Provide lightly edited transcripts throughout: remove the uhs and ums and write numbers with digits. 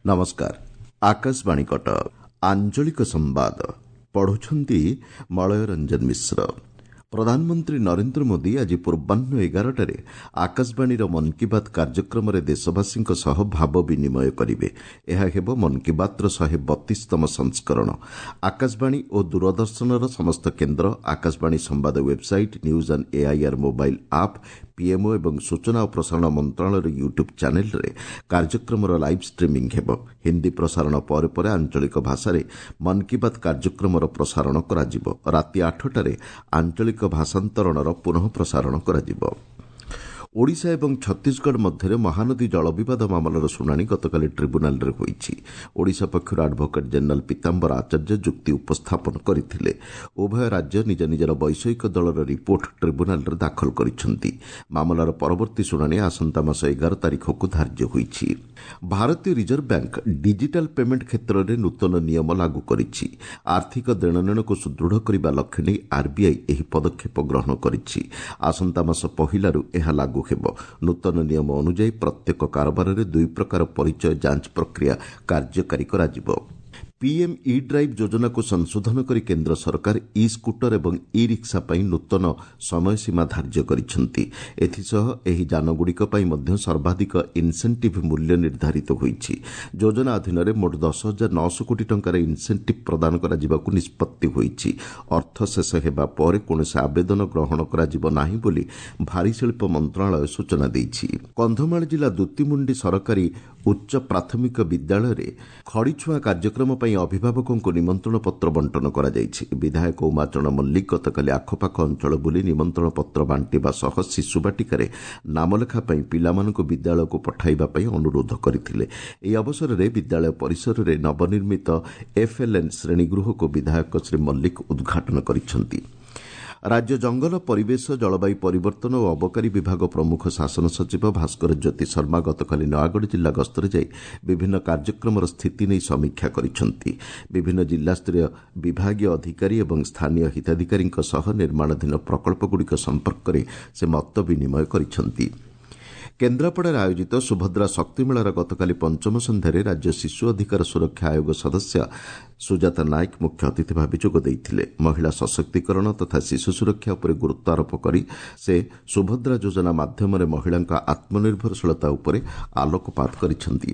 ନମସ୍କାର, ଆକାଶବାଣୀ କଟକ। ଆଞ୍ଚଳିକ ସମ୍ବାଦ ପଢୁଛନ୍ତି ମଳୟ ରଞ୍ଜନ ମିଶ୍ର। ପ୍ରଧାନମନ୍ତ୍ରୀ ନରେନ୍ଦ୍ର ମୋଦି ଆଜି ପୂର୍ବାହ୍ନ 11ଟାରେ ଆକାଶବାଣୀର ମନ୍ କି ବାତ୍ କାର୍ଯ୍ୟକ୍ରମରେ ଦେଶବାସୀଙ୍କ ସହ ଭାବ ବିନିମୟ କରିବେ। ଏହା ହେବ ମନ୍ କି ବାତ୍ର 132ତମ ସଂସ୍କରଣ। ଆକାଶବାଣୀ ଓ ଦୂରଦର୍ଶନର ସମସ୍ତ କେନ୍ଦ୍ର, ଆକାଶବାଣୀ ସମ୍ବାଦ website, news on AIR mobile app, PMO ଏବଂ ସୂଚନା ଓ ପ୍ରସାରଣ ମନ୍ତ୍ରଣାଳୟର ୟୁଟ୍ୟୁବ୍ ଚ୍ୟାନେଲ୍ରେ କାର୍ଯ୍ୟକ୍ରମର ଲାଇଭ୍ ଷ୍ଟ୍ରିମିଂ ହେବ। ହିନ୍ଦୀ ପ୍ରସାରଣ ପରେ ପରେ ଆଞ୍ଚଳିକ ଭାଷାରେ ମନ୍ କି ବାତ୍ କାର୍ଯ୍ୟକ୍ରମର ପ୍ରସାରଣ କରାଯିବ। ରାତି 8ଟାରେ ଆଞ୍ଚଳିକ ଭାଷାନ୍ତରଣର ପୁନଃ ପ୍ରସାରଣ କରାଯିବ। ଓଡ଼ିଶା ଏବଂ ଛତିଶଗଡ଼ ମଧ୍ୟରେ ମହାନଦୀ ଜଳବିବାଦ ମାମଲାର ଶୁଣାଣି ଗତକାଲି ଟ୍ରିବ୍ୟୁନାଲ୍ରେ ହୋଇଛି। ଓଡ଼ିଶା ପକ୍ଷରୁ ଆଡଭୋକେଟ୍ ଜେନେରାଲ୍ ପୀତାମ୍ବର ଆଚାର୍ଯ୍ୟ ଯୁକ୍ତି ଉପସ୍ଥାପନ କରିଥିଲେ। ଉଭୟ ରାଜ୍ୟ ନିଜ ନିଜର ବୈଷୟିକ ଦଳର ରିପୋର୍ଟ ଟ୍ରିବ୍ୟୁନାଲ୍ରେ ଦାଖଲ କରିଛନ୍ତି। ମାମଲାର ପରବର୍ତ୍ତୀ ଶୁଣାଣି ଆସନ୍ତା ମାସ 11 ତାରିଖକୁ ଧାର୍ଯ୍ୟ ହୋଇଛି। ଭାରତୀୟ ରିଜର୍ଭ ବ୍ୟାଙ୍କ ଡିଜିଟାଲ୍ ପେମେଣ୍ଟ କ୍ଷେତ୍ରରେ ନୂତନ ନିୟମ ଲାଗୁ କରିଛି। ଆର୍ଥିକ ଦେଣନେଣକୁ ସୁଦୃଢ଼ କରିବା ଲକ୍ଷ୍ୟ ନେଇ ଆର୍ବିଆଇ ଏହି ପଦକ୍ଷେପ ଗ୍ରହଣ କରିଛି। ଆସନ୍ତା ମାସ ପହିଲାରୁ ଏହା ଲାଗୁ ହେବ। ନୂତନ ନିୟମ ଅନୁଯାୟୀ ପ୍ରତ୍ୟେକ କାରବାରରେ ଦୁଇ ପ୍ରକାର ପରିଚୟ ଯାଞ୍ଚ ପ୍ରକ୍ରିୟା କାର୍ଯ୍ୟକାରୀ କରାଯିବ। ପିଏମ୍ ଇ ଡ୍ରାଇଭ୍ ଯୋଜନାକୁ ସଂଶୋଧନ କରି କେନ୍ଦ୍ର ସରକାର ଇ ସ୍କୁଟର ଏବଂ ଇ ରିକ୍ସା ପାଇଁ ନୂତନ ସମୟସୀମା ଧାର୍ଯ୍ୟ କରିଛନ୍ତି। ଏଥିସହ ଏହି ଯାନଗୁଡ଼ିକ ପାଇଁ ମଧ୍ୟ ସର୍ବାଧିକ ଇନ୍ସେଣ୍ଟିଭ୍ ମୂଲ୍ୟ ନିର୍ଦ୍ଧାରିତ ହୋଇଛି। ଯୋଜନା ଅଧୀନରେ ମୋଟ 10,900 କୋଟି ଟଙ୍କାର ଇନ୍ସେଣ୍ଟିଭ୍ ପ୍ରଦାନ କରାଯିବାକୁ ନିଷ୍ପତ୍ତି ହୋଇଛି। ଅର୍ଥ ଶେଷ ହେବା ପରେ କୌଣସି ଆବେଦନ ଗ୍ରହଣ କରାଯିବ ନାହିଁ ବୋଲି ଭାରୀ ଶିଳ୍ପ ମନ୍ତ୍ରଣାଳୟ ସୂଚନା ଦେଇଛି। କନ୍ଧମାଳ ଜିଲ୍ଲା ଦୁତିମୁଣ୍ଡି ସରକାରୀ ଉଚ୍ଚ ପ୍ରାଥମିକ ବିଦ୍ୟାଳୟରେ ଖଡ଼ିଛୁଆଁ କାର୍ଯ୍ୟକ୍ରମ ପାଇଁ ଅଭିଭାବକଙ୍କୁ ନିମନ୍ତ୍ରଣ ପତ୍ର ବଣ୍ଟନ କରାଯାଇଛି। ବିଧାୟକ ଉମାଚରଣ ମଲ୍ଲିକ ଗତକାଲି ଆଖପାଖ ଅଞ୍ଚଳ ବୁଲି ନିମନ୍ତ୍ରଣ ପତ୍ର ବାଣ୍ଟିବା ସହ ଶିଶୁବାଟିକାରେ ନାମଲେଖା ପାଇଁ ପିଲାମାନଙ୍କୁ ବିଦ୍ୟାଳୟକୁ ପଠାଇବା ପାଇଁ ଅନୁରୋଧ କରିଥିଲେ। ଏହି ଅବସରରେ ବିଦ୍ୟାଳୟ ପରିସରରେ ନବନିର୍ମିତ ଏଫ୍ଏଲ୍ଏନ୍ ଶ୍ରେଣୀଗୃହକୁ ବିଧାୟକ ଶ୍ରୀ ମଲ୍ଲିକ ଉଦ୍ଘାଟନ କରିଛନ୍ତି। ରାଜ୍ୟ ଜଙ୍ଗଲ, ପରିବେଶ, ଜଳବାୟୁ ପରିବର୍ତ୍ତନ ଓ ଅବକାରୀ ବିଭାଗ ପ୍ରମୁଖ ଶାସନ ସଚିବ ଭାସ୍କର ଜ୍ୟୋତି ଶର୍ମା ଗତକାଲି ନୟାଗଡ଼ ଜିଲ୍ଲା ଗସ୍ତରେ ଯାଇ ବିଭିନ୍ନ କାର୍ଯ୍ୟକ୍ରମର ସ୍ଥିତି ନେଇ ସମୀକ୍ଷା କରିଛନ୍ତି। ବିଭିନ୍ନ ଜିଲ୍ଲାସ୍ତରୀୟ ବିଭାଗୀୟ ଅଧିକାରୀ ଏବଂ ସ୍ଥାନୀୟ ହିତାଧିକାରୀଙ୍କ ସହ ନିର୍ମାଣାଧୀନ ପ୍ରକଳ୍ପଗୁଡ଼ିକ ସମ୍ପର୍କରେ ସେ ମତ ବିନିମୟ କରିଛନ୍ତି। କେନ୍ଦ୍ରାପଡ଼ାରେ ଆୟୋଜିତ ସୁଭଦ୍ରା ଶକ୍ତିମେଳାର ଗତକାଲି ପଞ୍ଚମ ସନ୍ଧ୍ୟାରେ ରାଜ୍ୟ ଶିଶୁ ଅଧିକାର ସୁରକ୍ଷା ଆୟୋଗ ସଦସ୍ୟା ସୁଜାତା ନାୟକ ମୁଖ୍ୟ ଅତିଥି ଭାବେ ଯୋଗ ଦେଇଥିଲେ। ମହିଳା ସଶକ୍ତିକରଣ ତଥା ଶିଶୁ ସୁରକ୍ଷା ଉପରେ ଗୁରୁତ୍ୱ ଆରୋପ କରି ସେ ସୁଭଦ୍ରା ଯୋଜନା ମାଧ୍ୟମରେ ମହିଳାଙ୍କ ଆତ୍ମନିର୍ଭରଶୀଳତା ଉପରେ ଆଲୋକପାତ କରିଛନ୍ତି।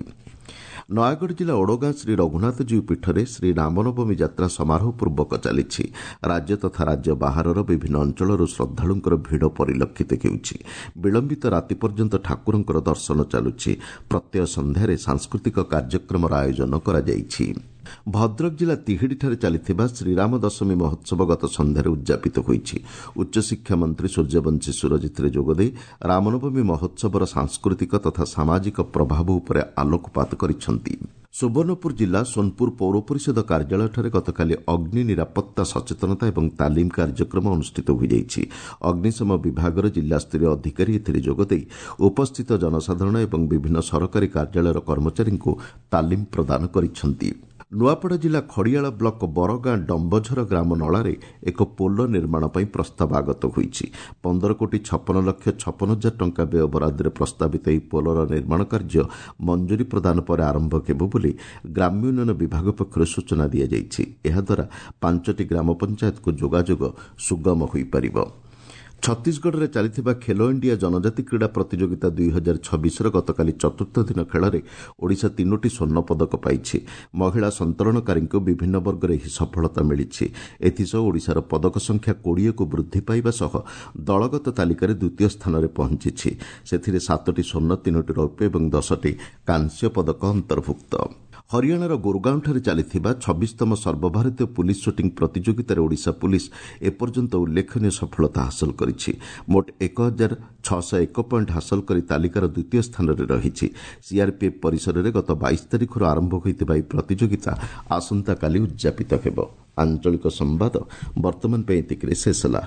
ନୟାଗଡ଼ ଜିଲ୍ଲା ଓଡ଼ଗାଁ ଶ୍ରୀ ରଘୁନାଥଜୀଉ ପୀଠରେ ଶ୍ରୀ ରାମନବମୀ ଯାତ୍ରା ସମାରୋହ ପୂର୍ବକ ଚାଲିଛି। ରାଜ୍ୟ ତଥା ରାଜ୍ୟ ବାହାରର ବିଭିନ୍ନ ଅଞ୍ଚଳରୁ ଶ୍ରଦ୍ଧାଳୁଙ୍କର ଭିଡ଼ ପରିଲକ୍ଷିତ ହେଉଛି। ବିଳମ୍ବିତ ରାତି ପର୍ଯ୍ୟନ୍ତ ଠାକୁରଙ୍କର ଦର୍ଶନ ଚାଲୁଛି। ପ୍ରତ୍ୟହ ସନ୍ଧ୍ୟାରେ ସାଂସ୍କୃତିକ କାର୍ଯ୍ୟକ୍ରମର ଆୟୋଜନ କରାଯାଇଛି। ଭଦ୍ରକ ଜିଲ୍ଲା ତିହିଡ଼ିଠାରେ ଚାଲିଥିବା ଶ୍ରୀରାମ ଦଶମୀ ମହୋତ୍ସବ ଗତ ସନ୍ଧ୍ୟାରେ ଉଦ୍ଯାପିତ ହୋଇଛି। ଉଚ୍ଚଶିକ୍ଷା ମନ୍ତ୍ରୀ ସୂର୍ଯ୍ୟବଂଶୀ ସୂରଜ ଏଥିରେ ଯୋଗଦେଇ ରାମନବମୀ ମହୋତ୍ସବର ସାଂସ୍କୃତିକ ତଥା ସାମାଜିକ ପ୍ରଭାବ ଉପରେ ଆଲୋକପାତ କରିଛନ୍ତି। ସୁବର୍ଣ୍ଣପୁର ଜିଲ୍ଲା ସୋନପୁର ପୌର ପରିଷଦ କାର୍ଯ୍ୟାଳୟଠାରେ ଗତକାଲି ଅଗ୍ନି ନିରାପତ୍ତା ସଚେତନତା ଏବଂ ତାଲିମ କାର୍ଯ୍ୟକ୍ରମ ଅନୁଷ୍ଠିତ ହୋଇଯାଇଛି। ଅଗ୍ନିଶମ ବିଭାଗର ଜିଲ୍ଲାସ୍ତରୀୟ ଅଧିକାରୀ ଏଥିରେ ଯୋଗଦେଇ ଉପସ୍ଥିତ ଜନସାଧାରଣ ଏବଂ ବିଭିନ୍ନ ସରକାରୀ କାର୍ଯ୍ୟାଳୟର କର୍ମଚାରୀଙ୍କୁ ତାଲିମ ପ୍ରଦାନ କରିଛନ୍ତି। ନୂଆପଡ଼ା ଜିଲ୍ଲା ଖଡ଼ିଆଳ ବ୍ଲକ ବରଗାଁ ଡମ୍ବଝର ଗ୍ରାମ ନଳାରେ ଏକ ପୋଲ ନିର୍ମାଣ ପାଇଁ ପ୍ରସ୍ତାବ ଆଗତ ହୋଇଛି। 15 କୋଟି 56 ଲକ୍ଷ 56 ହଜାର ଟଙ୍କା ବ୍ୟୟ ବରାଦରେ ପ୍ରସ୍ତାବିତ ଏହି ପୋଲର ନିର୍ମାଣ କାର୍ଯ୍ୟ ମଞ୍ଜୁରୀ ପ୍ରଦାନ ପରେ ଆରମ୍ଭ ହେବ ବୋଲି ଗ୍ରାମ୍ୟ ଉନ୍ନୟନ ବିଭାଗ ପକ୍ଷରୁ ସୂଚନା ଦିଆଯାଇଛି। ଏହାଦ୍ୱାରା 5ଟି ଗ୍ରାମ ପଞ୍ଚାୟତକୁ ଯୋଗାଯୋଗ ସୁଗମ ହୋଇପାରିବ। ଛତିଶଗଡ଼ରେ ଚାଲିଥିବା ଖେଲୋ ଇଣ୍ଡିଆ ଜନଜାତି କ୍ରୀଡ଼ା ପ୍ରତିଯୋଗିତା 2026ର ଗତକାଲି ଚତୁର୍ଥ ଦିନ ଖେଳରେ ଓଡ଼ିଶା 3ଟି ସ୍ୱର୍ଣ୍ଣ ପଦକ ପାଇଛି। ମହିଳା ସନ୍ତରଣକାରୀଙ୍କୁ ବିଭିନ୍ନ ବର୍ଗରେ ଏହି ସଫଳତା ମିଳିଛି। ଏଥିସହ ଓଡ଼ିଶାର ପଦକ ସଂଖ୍ୟା 20କୁ ବୃଦ୍ଧି ପାଇବା ସହ ଦଳଗତ ତାଲିକାରେ ଦ୍ୱିତୀୟ ସ୍ଥାନରେ ପହଞ୍ଚିଛି। ସେଥିରେ 7ଟି ସ୍ୱର୍ଣ୍ଣ, 3ଟି ରୌପ୍ୟ ଏବଂ 10ଟି କାଂସ୍ୟ ପଦକ ଅନ୍ତର୍ଭୁକ୍ତ। ହରିୟାଣାର ଗୁରୁଗାଓଁଠାରେ ଚାଲିଥିବା 26ତମ ସର୍ବଭାରତୀୟ ପୁଲିସ୍ ସୁଟିଂ ପ୍ରତିଯୋଗିତାରେ ଓଡ଼ିଶା ପୁଲିସ୍ ଏପର୍ଯ୍ୟନ୍ତ ଉଲ୍ଲେଖନୀୟ ସଫଳତା ହାସଲ କରିଛି। ମୋଟ 1601 ପଏଣ୍ଟ ହାସଲ କରି ତାଲିକାର ଦ୍ୱିତୀୟ ସ୍ଥାନରେ ରହିଛି। ସିଆର୍ପିଏଫ୍ ପରିସରରେ ଗତ 22 ତାରିଖରୁ ଆରମ୍ଭ ହୋଇଥିବା ଏହି ପ୍ରତିଯୋଗିତା ଆସନ୍ତାକାଲି ଉଦ୍ଯାପିତ ହେବ। ଆଞ୍ଚଳିକ ସମ୍ବାଦ ବର୍ତ୍ତମାନ ପାଇଁ ଏତିକିରେ ଶେଷ ହେଲା।